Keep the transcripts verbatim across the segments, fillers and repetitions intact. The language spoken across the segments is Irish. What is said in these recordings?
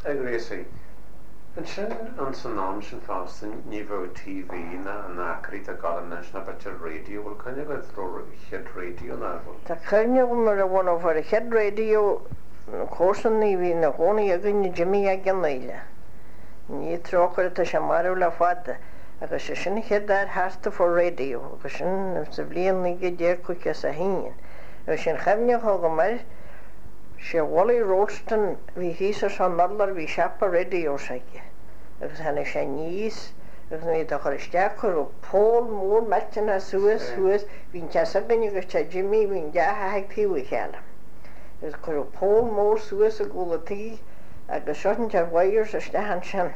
A Ghracie, ansin an san am sin fosta ní bheadh TV ná an acraí a gal anois ná b'fhéidir raidió bhfuil cuimhne agat chéad raidió ná bhfuil. Tá cuimhne agam mar a bhunófar a chéad raidió comharsan a bhí ina chónaí againne Jimmy ag an Éile. Ní trócaire tá sé marbh le fada agus sé sin chéad fhear thart a fuair raidió agus sin sa bhliain naoi déag caoga is a haon. Agus sin chuimhne agam air sé Wally Rolston bhí thíos ar son urlár bhí siopa radios aige. agus tháinig sé aníos agus ní a chur isteach chuir pól mór millteanach suas thuas bhí an teach againne agus teach Jimmy bhí an dá theach ag taobh a chéile. Agus cuireadh pól mór suas i gcúl an tí agus seo an wires isteach ansin.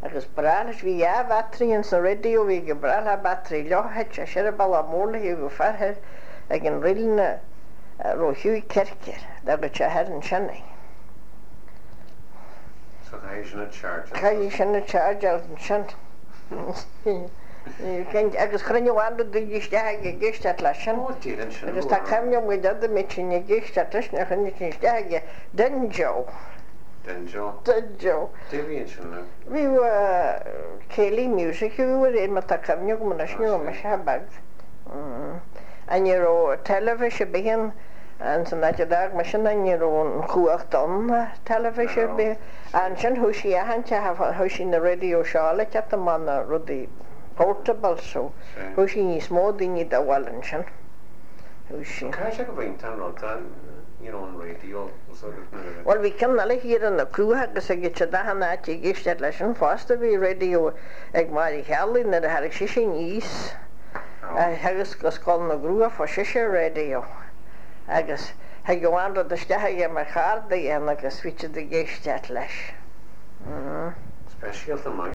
Agus breá leis bhí dhá battery ins an radio bhí go breá le battery leo thit sé sin bealach mór le go fearthair ag an rilna ro Hughie Kirker agus sé thar ansin é. So chaithfidh sin a charge. Chaithfidh sin a charge ansin. agus chruinne bhain daoine isteach ag ag éisteacht leis sin. Ó dían sin. Agus tá cuimhne agam go mé sin ag éisteacht leis na chruinne sin isteach aige Den Joe. Den Joe. Den Joe. Dé bhí sin le. Bhí céilí music a bhí ar má tá cuimhne agam anois ní raibh mise beag. An ní raibh teilifís ar bith an san áit a d'fhág mise ná ní raibh an chumhacht ann teilifís ar bith. Ansin thosaigh achan teach thosaigh na radio seo le teacht amach na rudaí portable so thosaigh níos mó daoine dá bhfuil ansin. Thosaigh. Cá sé go bhfuil an rud you know an radio Well bhí ceann eile thiar in na Cruacha agus ag siad achan áit ag éisteacht leis sin fosta bhí radio ag Máire Cheallaigh nuair a tháinig sise aníos agus go Scoil na gCruach fuair sise radio agus thug an rud isteach aige mar chardaí agus bhí siad ag éisteacht leis. Speisialta maith.